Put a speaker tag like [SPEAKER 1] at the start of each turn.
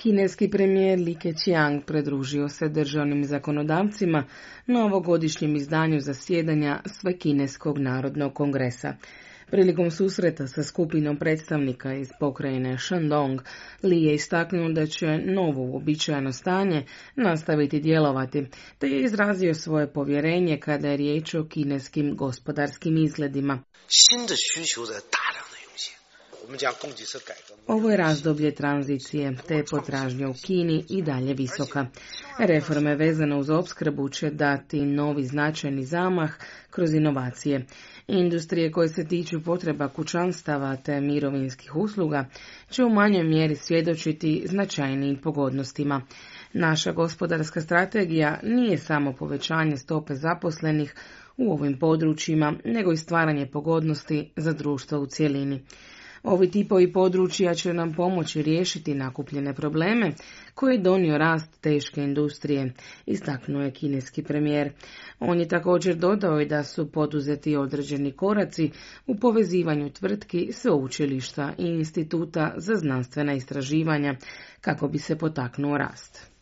[SPEAKER 1] Kineski premijer Li Keqiang pridružio se državnim zakonodavcima na ovogodišnjem izdanju zasjedanja Svekineskog narodnog kongresa. Prilikom susreta sa skupinom predstavnika iz pokrajine Shandong, Li je istaknuo da će novo uobičajeno stanje nastaviti djelovati, te je izrazio svoje povjerenje kada je riječ o kineskim gospodarskim izgledima. Ovo je razdoblje tranzicije, te je potražnja u Kini i dalje visoka. Reforme vezane uz opskrbu će dati novi značajni zamah kroz inovacije. Industrije koje se tiču potreba kućanstava te mirovinskih usluga će u manjoj mjeri svjedočiti značajnijim pogodnostima. Naša gospodarska strategija nije samo povećanje stope zaposlenih u ovim područjima, nego i stvaranje pogodnosti za društvo u cjelini. Ovi tipovi područja će nam pomoći riješiti nakupljene probleme koje je donio rast teške industrije, istaknuo je kineski premijer. On je također dodao i da su poduzeti određeni koraci u povezivanju tvrtki, sveučilišta i instituta za znanstvena istraživanja kako bi se potaknuo rast.